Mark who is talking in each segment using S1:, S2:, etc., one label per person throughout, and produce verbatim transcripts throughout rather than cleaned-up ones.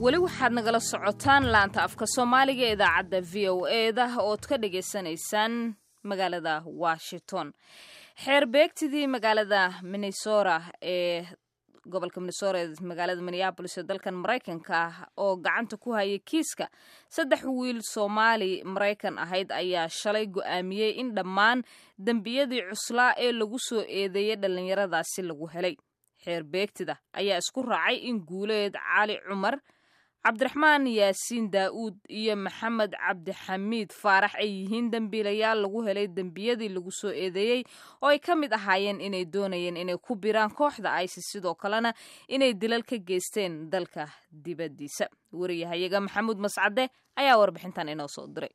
S1: Weli waxaad nagala socotaan laanta afka Soomaaliga ee idaacadda V O E da ood ka dhagaysanaysaan magaalada Washington. Xeer beegtidii magaalada Minnesota ee gobolka Minnesota ee magaalada Minneapolis ee dalkan Maraykanka ah oo gacanta ku hayay kiiska saddex wiil Soomaali Maraykan ahayd ayaa shalay go'aamiyey in dhammaan dembiyadii cuslaa ee lagu soo eedeeyey dhallinyaradaasi lagu helay. Xeer beegtida ayaa isku raacay in Guuleed Cali Cumar, Cabdiraxmaan Yaasiin Daa'uud iyo Maxamed Cabdixamiid Faarax ay yihiin dembiilayaal lagu helay dembiyadii lagu soo eedeeyey, oo ay ka mid ahaayeen inay doonayeen inay ku biraan kooxda ISIS, sidoo kalena inay dilal ka geysteen dalka dibaddiisa. Wariyahayaga Maxamuud Mascade ayaa warbixintan inoo soo diray.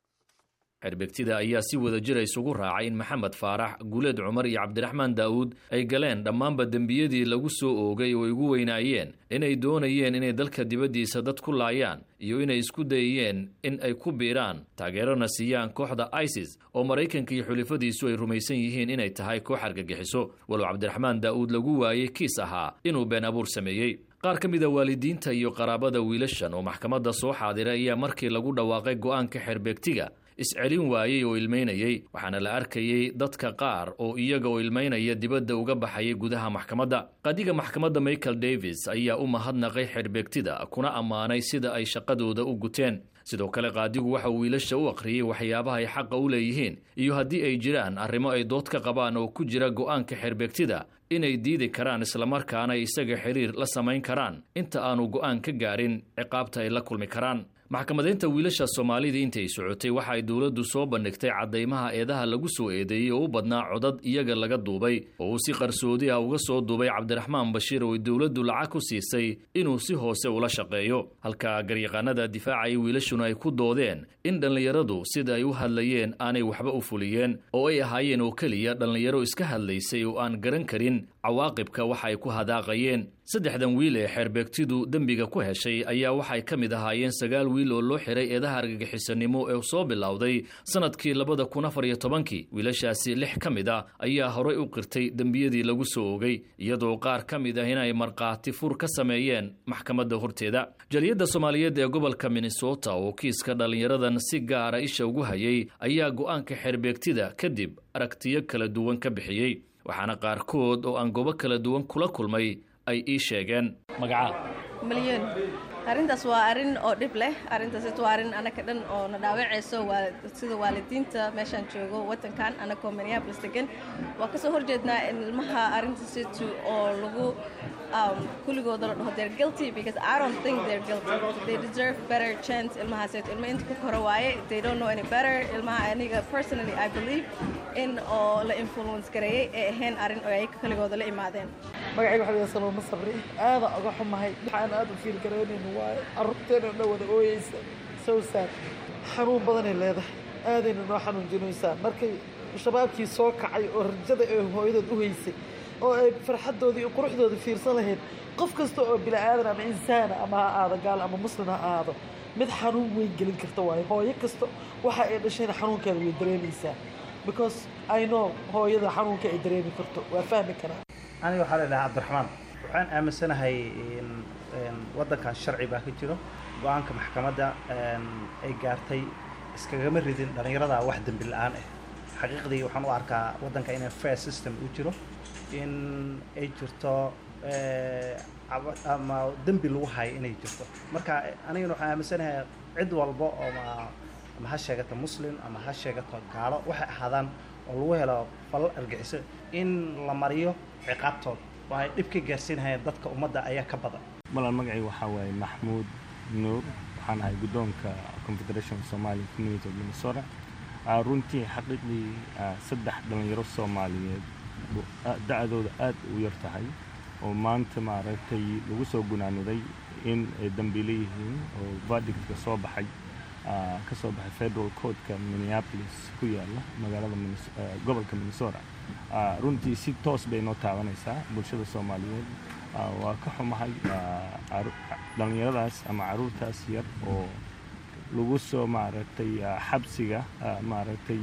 S2: Xeerbeegtida ayaa si wada jira isugu raacay in Maxamed Faarax, Guuleed Cumar iyo Cabdiraxmaan Daa'uud ay galeen dhammaanba dembiyadii lagu soo oogay, oo ay ugu weynaayeen inay doonayeen inay dalka dibaddiisa dad ku laayaan iyo inay isku dayayeen in ay ku biiraan, taageerona siiyaan kooxda ISIS, oo Maraykanka iyo xulifadiisu ay rumaysan yihiin inay tahay koox argagixiso, walow Cabdiraxmaan Daa'uud lagu waayey kiis ahaa inuu been abuur sameeyey. Qaar ka mid a waalidiinta iyo qaraabada wiilashan oo maxkamadda soo xaadiray ayaa markii lagu dhawaaqay go'aanka xeerbeegtiga iscelin waayey oo ilmaynayey, waxaana la arkayey dadka qaar oo iyaga oo ilmaynaya dibadda uga baxayay gudaha maxkamadda. Qaadiga maxkamadda Michael Davis ayaa u mahadnaqay xeerbeegtida, kuna ammaanay sida ay shaqadooda u guteen. Sidoo kale qaadigu waxa uu wiilasha u akhriyey waxyaabaha ay xaqa u leeyihiin iyo haddii ay jiraan arrimo ay dood ka qabaan oo ku jira go'aanka xeerbeegtida inay diidi karaan, islamarkaana isaga xiriir la samayn karaan inta aanu go'aan ka gaarin ciqaabta ay la kulmi karaan. Maxkamadaynta wiilasha Soomaalida intay socotay, waxa ay dowladdu soo bandhigtay caddaymaha eedaha lagu soo eedeeyey oo u badnaa codad iyaga laga duubay oo uu si qarsoodi ah uga soo duubay Cabdiraxmaan Bashiir, oo ay dowladdu lacag ku siisay inuu si hoose ula shaqeeyo, halka garyaqaanada difaacaya wiilashuna ay ku doodeen in dhallinyaradu sida ay u hadlayeen aanay waxba u fuliyeen, oo ay ahaayeen oo keliya dhallinyaro iska hadlaysay oo aan garan karin cawaaqibka waxa ay ku hadaaqayeen. Saddexdan wiil ee xeerbeegtidu dembiga ku heshay ayaa waxay ka mid ahaayeen sagaal wiil oo loo xiray eedaha argagixisanimo ee soo bilowday sanadkii labada kun afar iyo tobankii. Wiilashaasi lix ka mid ah ayaa horay u qirtay dembiyadii lagu soo oogay, iyadoo qaar ka mid ah inay markhaati fur ka sameeyeen maxkamadda horteeda. Jaliyadda Soomaaliyeed ee gobolka Minnesota oo kiiska dhallinyaradan si gaara isha ugu hayay ayaa go'aanka xeerbeegtida kadib aragtiyo kala duwan ka bixiyey, waxaana qaarkood oo aan goobo kala duwan kula kulmay ay ii sheegeen. Magacaa?
S3: Malyan. Arrintaas waa arrin oo dhib leh. Arrintaas waa arrin anaka dhan oo na dhaawacayso, waa sida waalidiinta meeshaan joogo wadankan, anakoo Minneapolis degan, waa kasoo horjeednaa in ilmaha arrintaasitu oo lagu kulligooda la dhaho they're guilty, because I don't think they're guilty. They deserve better chance. Ilmahaasito ilma inta ku koro waaye. They don't know any better. Ilmaha, aniga personally I believe in oo la influence gareeyay ee ahayn arrin oo ayaga kaligooda la imaadeen.
S4: Magacayga waxa weeye Saloma Sabri. Aada uga xumahay, waxaan aada u feel garaynayno waaye carruurteena dhan wada ooyeysa. So sad. Xanuun badanay leedahay, aadayna noo xanuunjinaysaa markay shabaabkii soo kacay oo rajada ay hooyadood u haysay oo ay farxaddoodii iyo quruxdooda fiirsan lahayd. Qof kasta oo bini aadan ama insaana, ama ha aado gaal ama muslim ha aado, mid xanuun weyn gelin karta waayo. Hooyo kasta waxa ay dhashayna xanuunkeeda way dareemaysaa, because I know hooyada xanuunka ay dareemi karto, waa fahmi karaa.
S5: Aniga waxaa la dhahaa Cabdiraxmaan. Waxaan aaminsanahay in waddankan sharci baa ka jiro. Go'aanka maxkamadda ay gaartay iskagama ridin dhallinyarada wax dembi la'aan ah. Xaqiiqdii waxaan u arkaa waddanka inay fair system u jiro, in ay jirto ama dembi lagu hayo inay jirto. Marka anigana waxaan aaminsanahay cid walba oo ma ama ha sheegato Muslim ama ha sheegato gaalo, waxay ahaadaan, oo lagu helo falal argagixiso in la mariyo ciqaabtooda oo ay dhib ka gaarsiinayaan dadka ummadda ayaa ka badan.
S6: Malan, magacayga waxaa waaye Maxmuud Nuur. Waxaan ahay guddoonka Confederation of Somali Community of Minnesota. Runtii, xaqiiqdii, saddex dhallinyaro Soomaaliyeed da'dooda aad u yar tahay oo maanta maaragtay lagu soo gunaanuday in ay dambiile yihiin oo verdictka soo baxay, ka soo baxay federal courtka Minneapolis ku yaala magaalada gobolka Minnesota, runtii si toos bay noo taabanaysaa bulshada Soomaaliyeed. Waa ka xumahay dhallinyaradaas ama caruurtaas yar oo lagu soo maaragtay xabsiga, maaragtay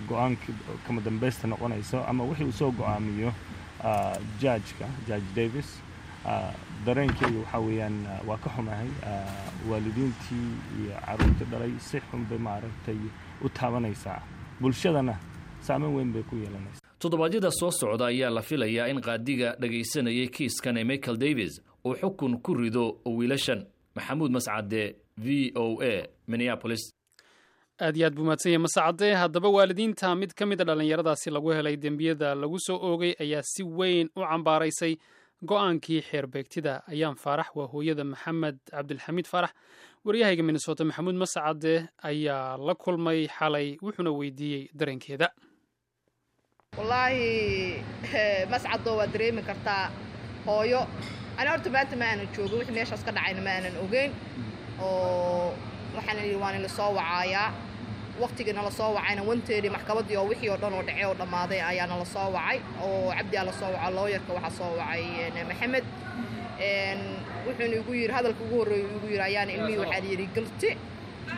S6: go'aanka kama dambaysta noqonayso ama wixii uu soo go'aamiyo judgeka, Judge Davis. Dareenkeyga waxaa weeyaan waa ka xumahay waalidiintii iyo carruurtii dhalay. Si xun bay maaragtay u taabanaysaa, bulshadana saameyn weyn bay ku yeelanaysaa.
S2: Toddobaadyada soo socda ayaa la filayaa in qaadiga dhagaysanayay kiiskan ee Michael Davis uu xukun ku rido wiilashan. Maxamuud Mascade, V O A, Minneapolis.
S7: Aad iyo aad buu mahadsan yahay Mascade. Haddaba waalidiinta mid ka mid a dhallinyaradaasi lagu helay dembiyada lagu soo oogay ayaa si weyn u cambaaraysay go'aankii xeerbeegtida. Ayaan Faarax waa hooyada Maxamed Cabdilxamiid Faarax. Waryahayga Minnesota Maxamuud Mascade ayaa la kulmay xalay, wuxuuna weydiiyey dareenkeeda.
S3: Wallaahi Mascado, waad dareemi kartaa hooyo. Ani horta maanta ma aanan joogin wixii meeshaas ka dhacayna, ma aanan ogeyn oo waxaan idhi waan ila soo wacaayaa. Waqtigii nala soo wacayna wanteedii maxkamaddii oo wixii oo dhan oo dhacay oo dhammaaday ayaa nala soo wacay, oo Cabdi aa la soo waca, looyarka waxaa soo wacay Maxamed. Wuxuuna igu yidhi, hadalka ugu horreeya igu yidhi ayaana ilmihii waxaa yidhi guilty.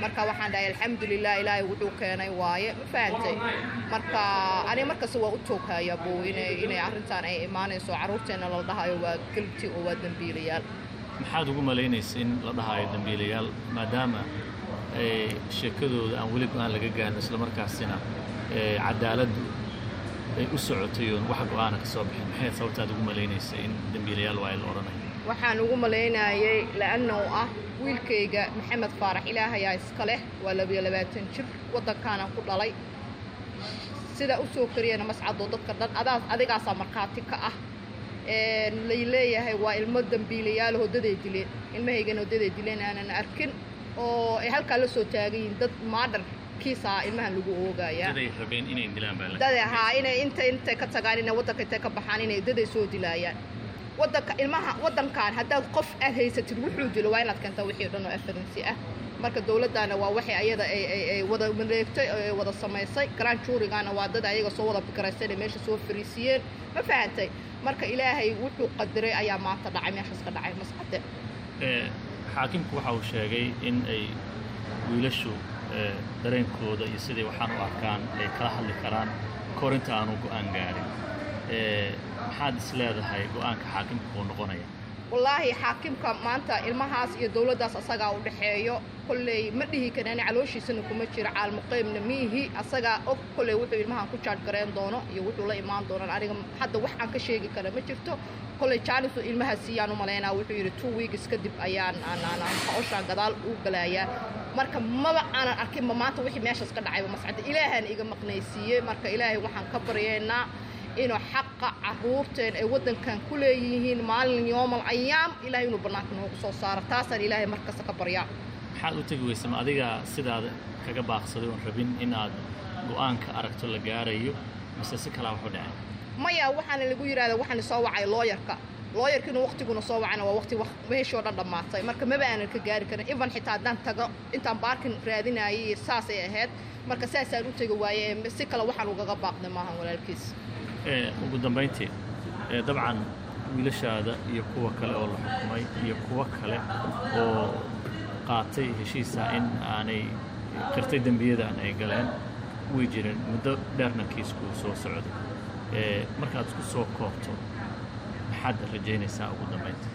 S3: Marka waxaan dhahay alxamdulilah, Ilaahay wuxuu keenay waaye, ma fahantay? Marka aniga markasta waa u tooghayaa bow inay inay arrintan ay imaanayso, carruurteenna la dhahayo waa guilty oo waa dembiilayaal.
S2: Maxaad ugu malaynaysa in la dhahayo dembiilayaal, maadaama sheekadooda aan weli go'aan laga gaarin, islamarkaasina cadaaladdu ay u socotay oon wax go'aana ka soo bixin? Maxay sababtaad ugu malaynaysa in dembiilayaal waa la odhanayo?
S3: Waxaan ugu malaynayay la'annahu ah wiilkayga Maxamed Faarax, Ilaahayaa iska leh, waa labiyo labaatan jir, waddankaanaan ku dhalay, sida u soo kariyana Mascadoo dadka dhan adaa adigaasaa markhaati ka ah. Lay leeyahay waa ilmo dembiilayaal, hoodaday dileen, ilmahaygana hoodaday dileen aanan arkin oo ay halkaa la soo taagan yihiin dad murder kiisaa ilmahan lagu oogayaa.
S2: Daday rabeen inay dilaan baa la
S3: Dad haa, inay inta intay ka tagaan, inay waddanka intay ka baxaan, inay daday soo dilaayaan waddanka ilmaha. Waddankan haddaad qof aad haysatid wuxuu dilo, waa inaad keentaa wixii o dhan oo evidence ah. Marka dowladdaana waa waxay ayada ay ay ay wada mareegtay oo ay wada samaysay. Grand jury-gana waa dad ayaga soo wada fikiraysteen ee meesha soo fariisiyeen, ma fahantay? Marka Ilaahay wuxuu qadiray ayaa maanta dhacay, meeshaas ka dhacay, Mascade.
S2: Xaakimku waxa uu sheegay in ay wiilashu dareenkooda iyo siday waxaan u arkaan ay kala hadli karaan kahor inta aanu go'aan gaarin. Maxaad is leedahay go'aanka xaakimka uu noqonaya?
S3: Wallaahi xaakimka maanta ilmahaas iyo dowladdaas asagaa u dhexeeyo. Kolley ma dhihi karani, calooshiisana kuma jiro, caalmuqeybna miihi, asagaa og. Kolley wuxuu ilmahan ku jaaj gareen doono iyo wuxuu la imaan doonaan, aniga hadda wax aan ka sheegi kara ma jirto. Kolley janisu ilmaha siiyaan u malaynaa. Wuxuu yidhi two weeks kadib ayaan aan hawshaan gadaal u galayaa. Marka maba aanan arkinba maanta wixii meeshaas ka dhacayba, Mascadda, Ilaahaan iga maqnaysiiyey. Marka Ilaahay waxaan ka baryaynaa inuu xaqa carruurteen ay waddankan ku leeyihiin maalin yoomal ayaam Ilahay inuu bannaanka noogu soo saaro. Taasaan Ilaahay markasta ka baryaa.
S2: Maxaad u tegi weysa? Ma adiga sidaada kaga baaqsaday oon rabin inaad go'aanka aragto la gaarayo, mise si kalaa waxu dhacay?
S3: Maya, waxaana lagu yidhahda waxaana soo wacay looyarka. Looyarkiina waqtiguna soo wacana waa waqti meeshii oo dhan dhammaatay. Marka maba aanan ka gaari karin even xitaa haddaan tago intaan parking raadinayay, saasay ahayd. Marka saasaan u tegi waaye, si kale waxaan ugaga baaqday maahan, walaalkiis.
S2: Ugu dambayntii, dabcan wiilashaada iyo kuwa kale oo la xukumay iyo kuwo kale oo qaatay heshiisa in aanay qirtay dembiyadan ay galeen way jireen, muddo dheerna kiisku soo socday. Markaad isku soo koobto, maxaad rajaynaysaa ugu dambaynta?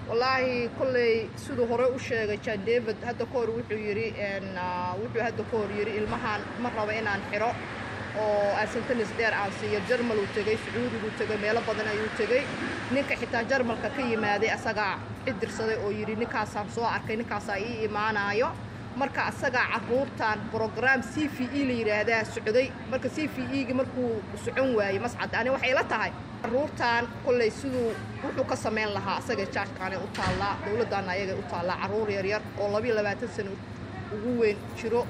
S3: Wallaahi kolley siduu hore u sheegay John David hadda ka hor, wuxuu yidhi wuxuu hadda ka hor yidhi ilmahan ma rabo inaan xiro oo aan sentence dheer aan siiyo. Jarmal uu tegey, Sacuudiguu tegey, meelo badan ayuu tegey. Ninka xitaa Jarmalka ka yimaaday asagaa cidirsaday oo yidhi ninkaasaan soo arkay, ninkaasaa ii imaanaayo. Marka asagaa carruurtan program C V E la yidhaahdaa socday. Marka C V E-gi markuu socon waayey, Mascad, ani waxay la tahay carruurtan kolley siduu wuxuu ka samayn lahaa asaga judge-kaanay u taallaa, dowladdaana ayagay u taallaa. Carruur yaryar oo labiyo labaatan sano ugu weyn jiro,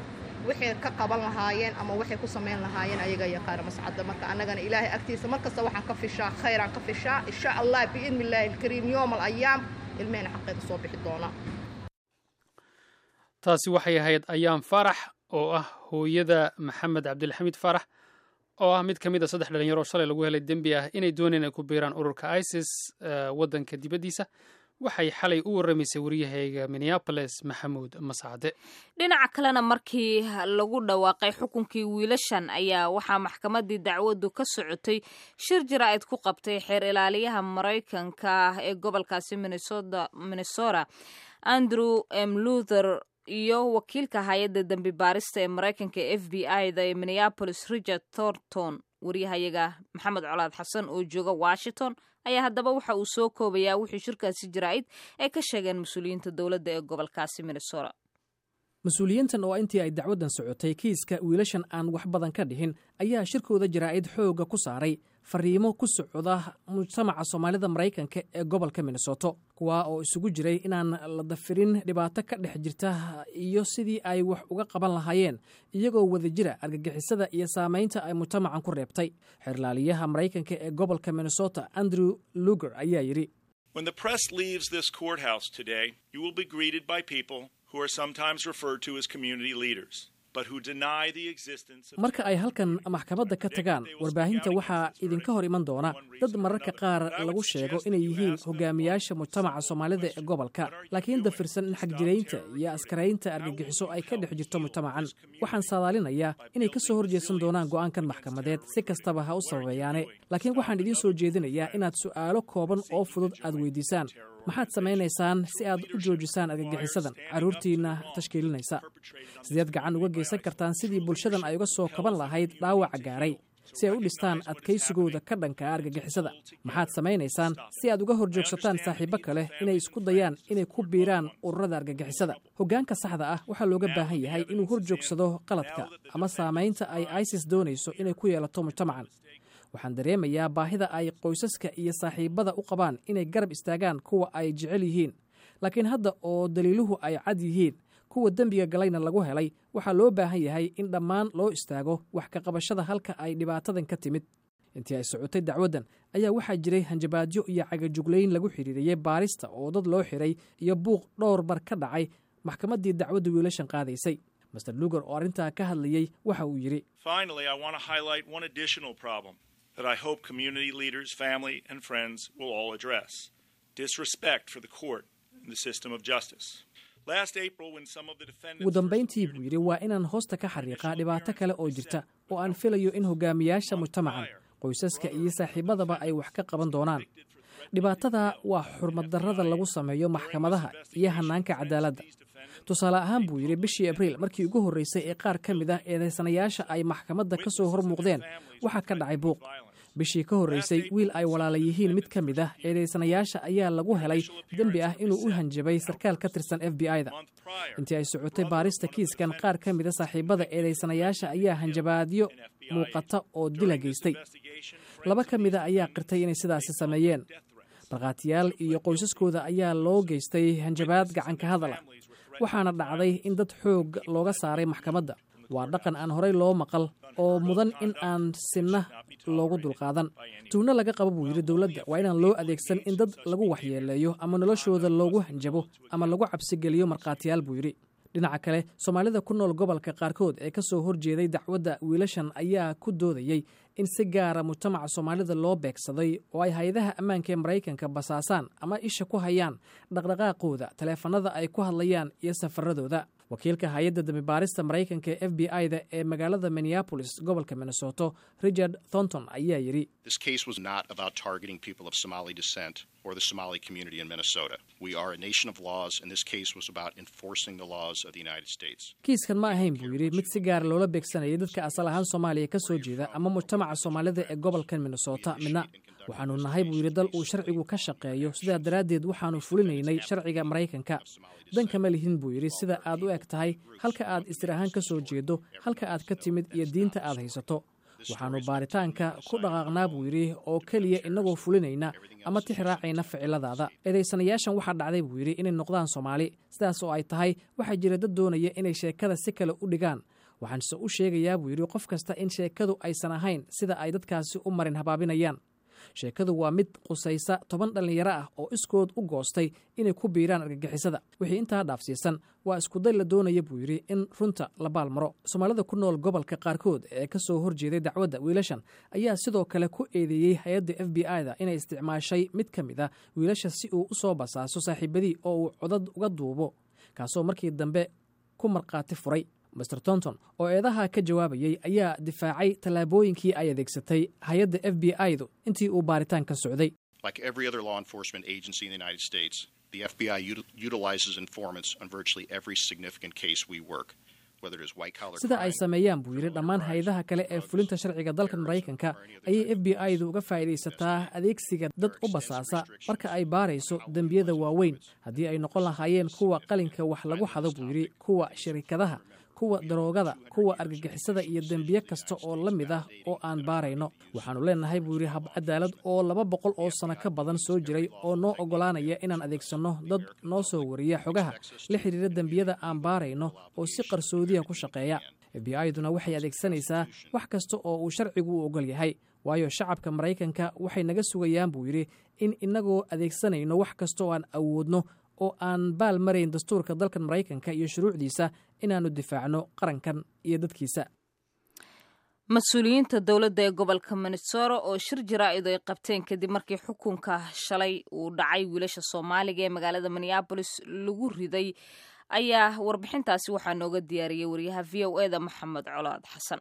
S3: waxay ka qaban lahaayeen ama waxay ku samayn lahaayeen ayaga yaqaana, Mascadda. Marka annagana Ilaahay agtiisa markasta waxaan ka fishaa khayraan ka fishaa. Insha Allah, biidni illaahi alkariim, yoom al ayaam ilmehena xaqeeda soo bixi doona.
S7: Taasi waxay ahayd Ayaan Faarax oo ah hooyada Maxamed Cabdilxamiid Faarax, oo ah mid ka mid a saddex dhalinyaro oo shalay lagu helay dembi ah inay dooneen ay ku biiraan ururka ISIS waddanka dibaddiisa. Waxay xalay u warramaysay waryahayga Minneapolis, Maxamuud Mascade.
S1: Dhinaca kalena, markii lagu dhawaaqay xukunkii wiilashan ayaa waxaa maxkamadii dacwadu ka socotay shir jaraa'id ku qabtay xeer ilaaliyaha Maraykanka ee gobolkaasi Minnesota, Andrew M Luther, iyo wakiilka hay-adda dembi baarista ee Maraykanka, F B I da ee Minneapolis, Richard Thornton. Waryahayaga Maxamed Colaad Xasan oo jooga Washington ayaa haddaba waxa uu soo koobayaa wuxuu shirkaasi jaraa'id ay ka sheegeen mas-uuliyiinta dowladda ee gobolkaasi Minnesota.
S8: Mas-uuliyiintan oo intii ay dacwaddan socotay kiiska wiilashan aan wax badan ka dhihin ayaa shirkooda jaraa'id xoogga ku saaray fariimo ku socda mujtamaca Soomaalida Maraykanka ee gobolka Minnesoto, kuwaa oo isugu jiray inaan la dafirin dhibaato ka dhex jirta iyo sidii ay wax uga qaban lahaayeen iyagoo wadajira argagixisada iyo saamaynta ay mujtamacan ku reebtay. Xeer ilaaliyaha Maraykanka ee gobolka Minnesota, Andrew Luger, ayaa yidhi:
S9: When the press leaves this courthouse today, you will be greeted by people who are sometimes referred to as community leaders, but who deny the existence of
S8: Marka ay halkan maxkamadda ka tagaan warbaahinta, waxaa idinka hor iman doona dad mararka qaar lagu sheego inay yihiin hogaamiyaasha mujtamaca Soomaalida ee gobolka, laakiin dafirsan in xagjiraynta iyo askaraynta argagixiso ay ka dhex jirto mujtamacan. Waxaan saadaalinayaa inay ka soo horjeesan doonaan go'aankan maxkamadeed, si kastaba ha u sababeeyaane, laakiin waxaan idiin soo jeedinayaa inaad su'aalo kooban oo fudud aad weydiisaan: Maxaad samaynaysaan si aad u joojisaan argagixisadan carruurtiinna tashkiilinaysa? Sideed gacan uga geysan kartaan sidii bulshadan ay uga soo kaban lahayd dhaawaca gaaray, si ay u dhistaan adkaysigooda ka dhanka argagixisada? Maxaad samaynaysaan si aad uga hor joogsataan saaxiibbo kale inay isku dayaan inay ku biiraan ururada argagixisada? Hoggaanka saxda ah waxaa looga baahan yahay inuu hor joogsado qaladka ama saamaynta ay ISIS doonayso inay ku yeelato mujtamacan. Waxaan dareemayaa baahida ay qoysaska iyo saaxiibbada u qabaan inay garab istaagaan kuwa ay jecel yihiin, laakiin hadda oo daliiluhu ay cad yihiin, kuwa dembiga galayna lagu helay, waxaa loo baahan yahay in dhammaan loo istaago wax ka qabashada halka ay dhibaatadan ka timid. Intii ay socotay dacwaddan ayaa waxaa jiray hanjabaadyo iyo cagajuglayn lagu xidhiiriyey baarista oo dad loo xiray iyo buuq dhowr mar ka dhacay maxkamaddii dacwadda wiilashan qaadaysay. Mister Luger oo arrintaa ka hadlayey waxa uu yidhi:
S9: Finally, I want to highlight one additional problem that I hope community leaders, family, and friends will all address: disrespect for the court and the system of justice. Last April, when some of the defendants
S8: Ugu dambayntii, buu yidhi, waa inaan hoosta ka xariiqaa dhibaato kale oo jirta oo aan filayo in hogaamiyaasha mujtamacan, qoysaska iyo saaxiibadaba ay wax ka qaban doonaan. Dhibaatada waa xurmaddarrada lagu sameeyo maxkamadaha iyo hannaanka cadaaladda. Tusaale ahaan, buu yidhi, bishii Abriil markii ugu horreysay ee qaar ka mid ah eedaysanayaasha ay maxkamadda ka soo hor muuqdeen, waxaa ka dhacay buuq. Bishii ka horreysay, wiil ay walaala yihiin mid ka mid ah eedaysanayaasha ayaa lagu helay dembi ah inuu u hanjabay sarkaal ka tirsan F B I-da. Intii ay socotay baarista kiiskan, qaar ka mid a saaxiibada eedaysanayaasha ayaa hanjabaadyo muuqata oo dila geystay. Laba ka mida ayaa qirtay inay sidaasi sameeyeen. Markhaatiyaal iyo qoysaskooda ayaa loo geystay hanjabaad gacanka hadal ah, waxaana dhacday in dad xoog looga saaray maxkamadda. Waa dhaqan aan horey loo maqal oo mudan in aan sinna loogu dulqaadan. Tuhno laga qabo, buu yidhi, dowladda waa inaan loo adeegsan in dad lagu waxyeeleeyo ama noloshooda loogu hanjabo ama lagu cabsigeliyo markhaatiyaal, buu yidhi. Dhinaca kale, Soomaalida ku nool gobolka qaarkood ee ka soo horjeeday dacwadda wiilashan ayaa ku doodayey in si gaara mujtamaca Soomaalida loo beegsaday oo ay hay-adaha ammaanka ee Maraykanka basaasaan ama isha ku hayaan dhaqdhaqaaqooda, taleefanada ay ku hadlayaan iyo safaradooda. Wakiilka hay-adda dambibaarista Maraykanka ee F B I-da ee magaalada Minneapolis, gobolka Minnesoto, Richard Thornton, ayaa yidhi:
S10: This case was not about targeting people of Somali descent or the Somali community in Minnesota. We are a nation of laws, and this case was about enforcing the laws of the United States.
S8: Kiiskan ma ahayn, buu yidhi, mid si gaara loola beegsanayay dadka asal ahaan Soomaaliya ka soo jeeda ama mujtamaca Soomaalida ee gobolkan Minnesota midna. Waxaanu nahay, buu yidhi, dal uu sharcigu ka shaqeeyo, sidaa daraaddeed waxaanu fulinaynay sharciga Maraykanka. Danka ma lihin, buu yidhi, sida aad u eg tahay, halka aad isir ahaan ka soo jeedo, halka aad ka timid iyo diinta aad haysato. Waxaannu baaritaanka ku dhaqaaqnaa, buu yidhi, oo keliya innagoo fulinayna ama tix raacayna ficiladaada. Eedaysanayaashan waxaa dhacday, buu yidhi, inay noqdaan Soomaali. Sidaas oo ay tahay, waxaa jira dad doonaya inay sheekada si kale u dhigaan. Waxaanse u sheegayaa, buu yidhi, qof kasta in sheekadu aysan ahayn sida ay dadkaasi u marin habaabinayaan. Sheekadu waa mid qusaysa toban dhallinyaro ah oo iskood u goostay inay ku biiraan argagixisada. Wixii intaa dhaafsiisan waa iskuday la doonaya, buu yidhi, in runta la baalmaro. Soomaalida ku nool gobolka qaarkood ee ka soo horjeeday dacwadda wiilashan ayaa sidoo kale ku eedeeyey hay-adda F B I da inay isticmaashay mid ka mid a wiilasha si uu u soo basaaso saaxiibadii oo uu codad uga duubo, kaasoo markii dambe ku markhaati furay. Mister Thornton oo eedaha ka jawaabayey ayaa difaacay tallaabooyinkii ay adeegsatay hay-adda F B I du intii uu baaritaanka socday.
S10: Like every other law enforcement agency in the United States, the F B I util- utilizes informants on virtually every significant case we work, whether it is white collar
S8: Sida ay sameeyaan, buu yidhi, dhammaan hay-adaha kale ee fulinta sharciga dalkan Maraykanka ayay F B I du uga faa'iidaysataa adeegsiga dad u basaasa marka ay baarayso dembiyada waaweyn, haddii ay noqon lahaayeen kuwa qalinka wax lagu xado, buu yidhi, kuwa shirikadaha, kuwa daroogada, kuwa argagixisada iyo dembiye kasta oo la mid ah oo aan baarayno. Waxaannu leenahay, buu yidhi, hab cadaalad oo laba boqol oo sano ka badan soo jiray oo noo oggolaanaya inaan adeegsanno dad noo soo wariya xogaha la xidhiira dembiyada aan baarayno oo si qarsoodiya ku shaqeeya. F B I duna waxay adeegsanaysaa wax kasta oo uu sharcigu u ogol yahay, waayo shacabka Maraykanka waxay naga sugayaan, buu yidhi, in inagoo adeegsanayno wax kasta oo aan awoodno oo aan baal marayn dastuurka dalkan Maraykanka iyo shuruucdiisa inaannu difaacno qarankan iyo dadkiisa.
S1: Mas-uuliyiinta dowladda ee gobolka Minnesota oo shir jaraa'id ay qabteen kadib markii xukunka shalay uu dhacay wiilasha Soomaaliga ee magaalada Minneapolis lagu riday ayaa warbixintaasi waxaa nooga diyaariyey wariyaha V O E da, Maxamed Colaad Xasan.